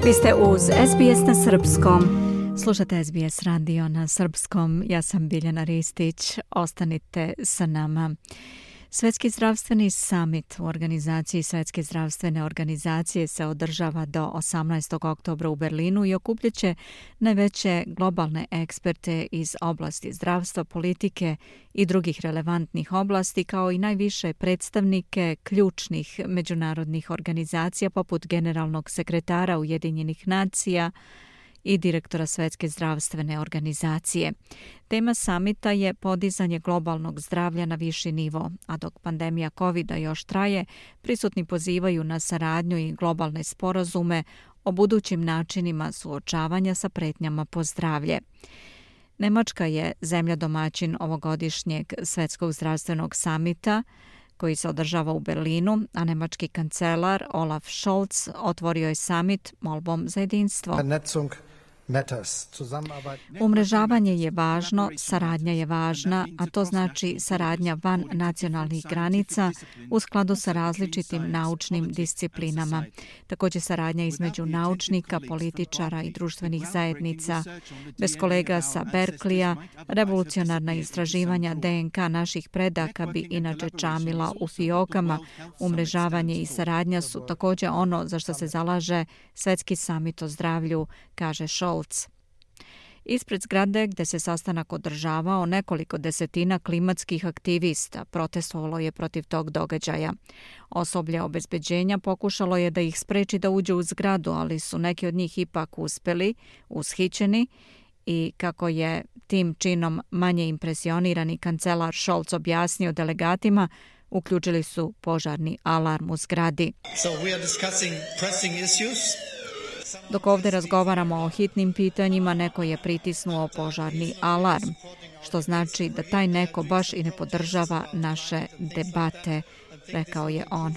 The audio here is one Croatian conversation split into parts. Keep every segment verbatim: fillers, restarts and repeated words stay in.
Vi ste uz S B S na srpskom. Slušate S B S radio na srpskom. Ja sam Biljana Ristić. Ostanite sa nama. Svetski zdravstveni summit u organizaciji Svetske zdravstvene organizacije se održava do osamnaestog oktobra u Berlinu i okupljaće najveće globalne eksperte iz oblasti zdravstva, politike i drugih relevantnih oblasti, kao i najviše predstavnike ključnih međunarodnih organizacija poput generalnog sekretara Ujedinjenih nacija i direktora Svetske zdravstvene organizacije. Tema samita je podizanje globalnog zdravlja na viši nivo, a dok pandemija kovida još traje, prisutni pozivaju na saradnju i globalne sporazume o budućim načinima suočavanja sa pretnjama po zdravlje. Nemačka je zemlja domaćin ovogodišnjeg Svetskog zdravstvenog samita koji se održava u Berlinu, a nemački kancelar Olaf Scholz otvorio je samit molbom za jedinstvo. Umrežavanje je važno, saradnja je važna, a to znači saradnja van nacionalnih granica u skladu sa različitim naučnim disciplinama. Također saradnja između naučnika, političara i društvenih zajednica. Bez kolega sa Berkleya, revolucionarna istraživanja D N K naših predaka bi inače čamila u fiokama. Umrežavanje i saradnja su također ono za što se zalaže Svetski samit o zdravlju, kaže Scholz. Ispred zgrade gde se sastanak održavao, nekoliko desetina klimatskih aktivista protestovalo je protiv tog događaja. Osoblje obezbeđenja pokušalo je da ih spreči da uđu u zgradu, ali su neki od njih ipak uspeli, ushićeni, i kako je tim činom manje impresionirani kancelar Scholz objasnio delegatima, uključili su požarni alarm u zgradi. So we are discussing pressing issues. Dok ovdje razgovaramo o hitnim pitanjima, neko je pritisnuo požarni alarm, što znači da taj neko baš i ne podržava naše debate, rekao je on.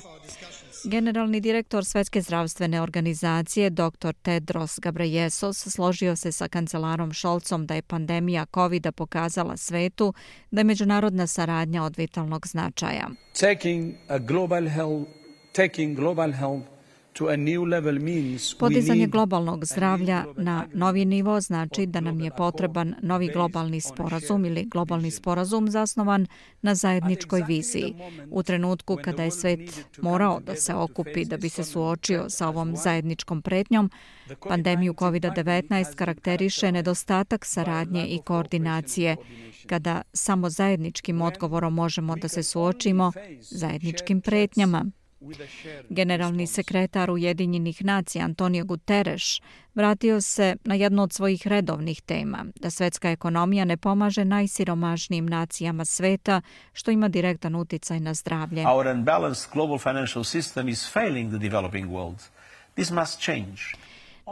Generalni direktor Svetske zdravstvene organizacije dr Tedros Ghebreyesus složio se sa kancelarom Scholzom da je pandemija kovida pokazala svetu da je međunarodna saradnja od vitalnog značaja. Taking a global health, taking global health Podizanje globalnog zdravlja na novi nivo znači da nam je potreban novi globalni sporazum ili globalni sporazum zasnovan na zajedničkoj viziji. U trenutku kada je svet morao da se okupi da bi se suočio sa ovom zajedničkom pretnjom, pandemiju kovid devetnaest karakteriše nedostatak saradnje i koordinacije, kada samo zajedničkim odgovorom možemo da se suočimo zajedničkim pretnjama. Generalni sekretar Ujedinjenih nacija Antonio Guterres vratio se na jednu od svojih redovnih tema, da svetska ekonomija ne pomaže najsiromašnijim nacijama sveta, što ima direktan uticaj na zdravlje. Our unbalanced global financial system is failing the developing world. This must change.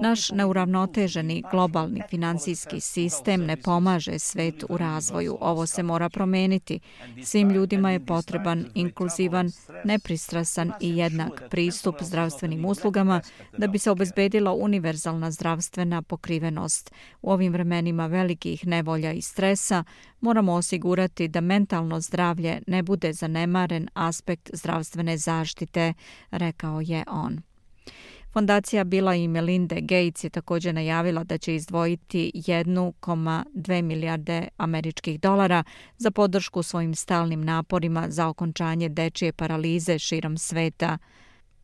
Naš neuravnoteženi globalni finansijski sistem ne pomaže svet u razvoju. Ovo se mora promeniti. Svim ljudima je potreban inkluzivan, nepristrasan i jednak pristup zdravstvenim uslugama da bi se obezbedila univerzalna zdravstvena pokrivenost. U ovim vremenima velikih nevolja i stresa moramo osigurati da mentalno zdravlje ne bude zanemaren aspekt zdravstvene zaštite, rekao je on. Fondacija Billa i Melinda Gates je također najavila da će izdvojiti jedan zarez dve milijarde američkih dolara za podršku svojim stalnim naporima za okončanje dečije paralize širom sveta.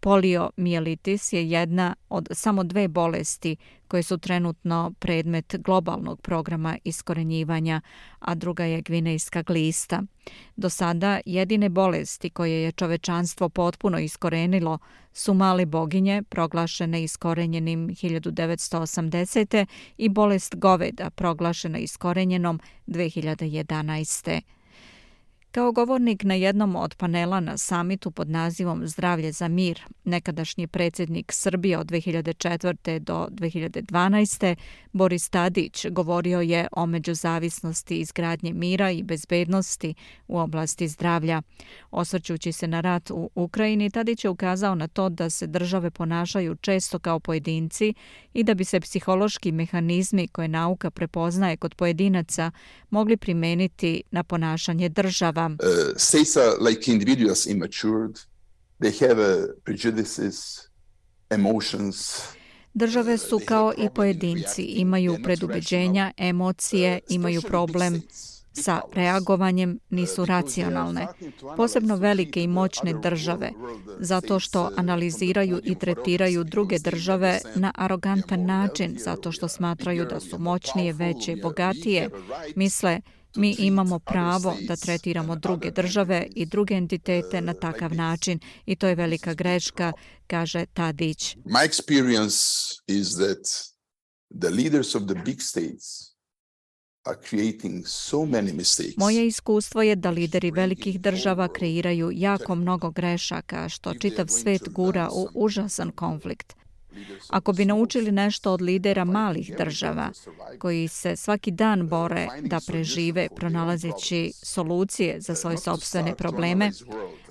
Poliomijelitis je jedna od samo dve bolesti koje su trenutno predmet globalnog programa iskorenjivanja, a druga je gvinejska glista. Do sada jedine bolesti koje je čovečanstvo potpuno iskorenilo su male boginje, proglašene iskorenjenim hiljadu devetsto osamdesete i bolest goveda, proglašena iskorenjenom dve hiljade jedanaeste. Kao govornik na jednom od panela na samitu pod nazivom Zdravlje za mir, nekadašnji predsjednik Srbije od dve hiljade četvrte do dve hiljade dvanaeste Boris Tadić govorio je o međuzavisnosti izgradnje mira i bezbednosti u oblasti zdravlja. Osvrćući se na rat u Ukrajini, Tadić je ukazao na to da se države ponašaju često kao pojedinci i da bi se psihološki mehanizmi koje nauka prepoznaje kod pojedinaca mogli primeniti na ponašanje država. Uh, states are like individuals immatured. They have uh, prejudices, emotions. Države su kao i pojedinci, imaju predubeđenja, emocije, imaju problem sa reagovanjem, nisu racionalne. Posebno velike i moćne države, zato što analiziraju i tretiraju druge države na arogantan način, zato što smatraju da su moćnije, veće, bogatije, misle mi imamo pravo da tretiramo druge države i druge entitete na takav način i to je velika greška, kaže Tadić. My experience is that the leaders of the big states are creating so many mistakes. Moje iskustvo je da lideri velikih država kreiraju jako mnogo grešaka, što čitav svet gura u užasan konflikt. Ako bi naučili nešto od lidera malih država, koji se svaki dan bore da prežive pronalazeći solucije za svoje sopstvene probleme,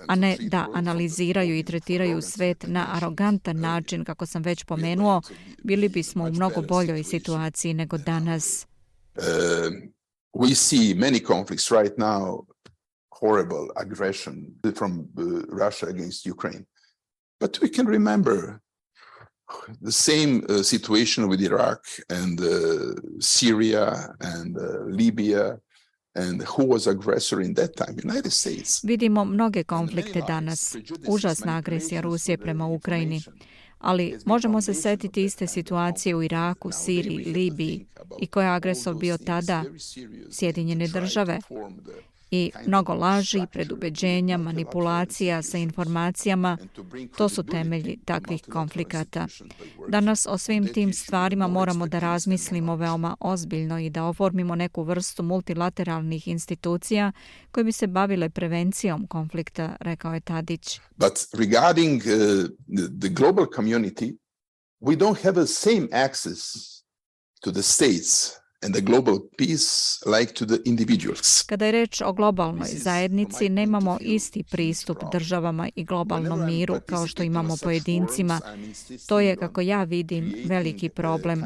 a ne da analiziraju i tretiraju svet na arogantan način, kako sam već pomenuo, bili bismo u mnogo boljoj situaciji nego danas. Uh, we see many conflicts right now, horrible aggression from uh, Russia against Ukraine. But we can remember the same uh, situation with Iraq and uh, Syria and uh, Libya and who was aggressor in that time? United States. Vidimo mnoge konflikte danas. Užasna agresija Rusije prema Ukrajini. Ali možemo se setiti iste situacije u Iraku, Siriji, Libiji i ko je agresor bio tada? Sjedinjene države. I mnogo laži, predubeđenja, manipulacija sa informacijama, to su temelji takvih konflikata. Danas o svim tim stvarima moramo da razmislimo veoma ozbiljno i da oformimo neku vrstu multilateralnih institucija koje bi se bavile prevencijom konflikta, rekao je Tadić. But regarding uh, the global community, we don't have the same access to the states and the global peace like to the individuals. Kada je reč o globalnoj zajednici, nemamo isti pristup državama i globalnom miru kao što imamo pojedincima. To je, kako ja vidim, veliki problem.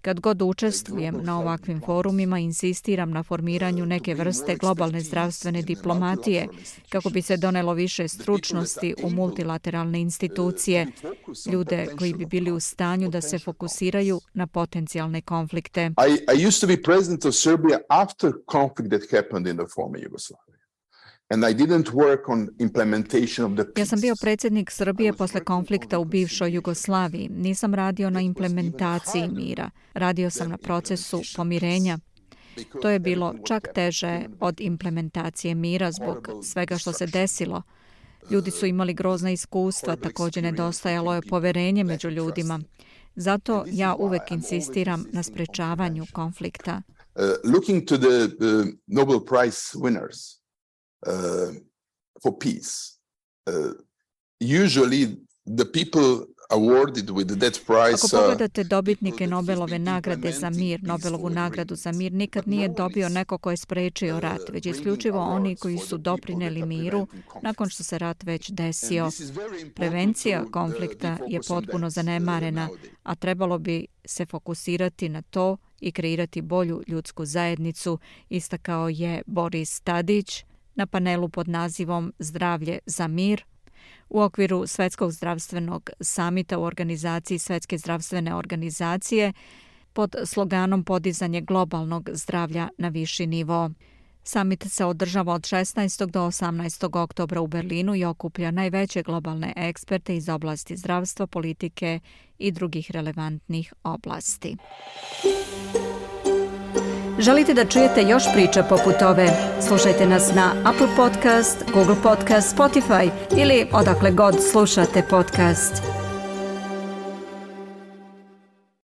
Kad god učestvujem na ovakvim forumima, insistiram na formiranju neke vrste globalne zdravstvene diplomatije, kako bi se donelo više stručnosti u multilateralne institucije, ljude koji bi bili u stanju da se fokusiraju na potencijalne konflikte. I, I used to be president of Serbia after conflict that happened in the former Yugoslavia. And I didn't work on implementation of the peace. Ja sam bio predsjednik Srbije posle konflikta u bivšoj Jugoslaviji. Nisam radio na implementaciji mira. Radio sam na procesu pomirenja. To je bilo čak teže od implementacije mira zbog svega što se desilo. Ljudi su imali grozna iskustva, također nedostajalo je poverenje među ljudima. Zato ja uvek insistiram na sprečavanju konflikta. Uh, looking to the uh, Nobel Prize winners, Uh, for peace. Uh, usually the people awarded with that prize. Ako pogledate dobitnike Nobelove nagrade za mir, Nobelovu nagradu za mir, nikad nije dobio neko ko je sprečio rat, već isključivo oni koji su doprineli miru nakon što se rat već desio. Prevencija konflikta je potpuno zanemarena, a trebalo bi se fokusirati na to i kreirati bolju ljudsku zajednicu, istakao je Boris Tadić na panelu pod nazivom Zdravlje za mir u okviru Svetskog zdravstvenog samita u organizaciji Svetske zdravstvene organizacije pod sloganom Podizanje globalnog zdravlja na viši nivo. Samit se održava od šesnaestog do osamnaestog oktobra u Berlinu i okuplja najveće globalne eksperte iz oblasti zdravstva, politike i drugih relevantnih oblasti. Želite da čujete još priča poput ove? Slušajte nas na Apple Podcast, Google Podcast, Spotify ili odakle god slušate podcast.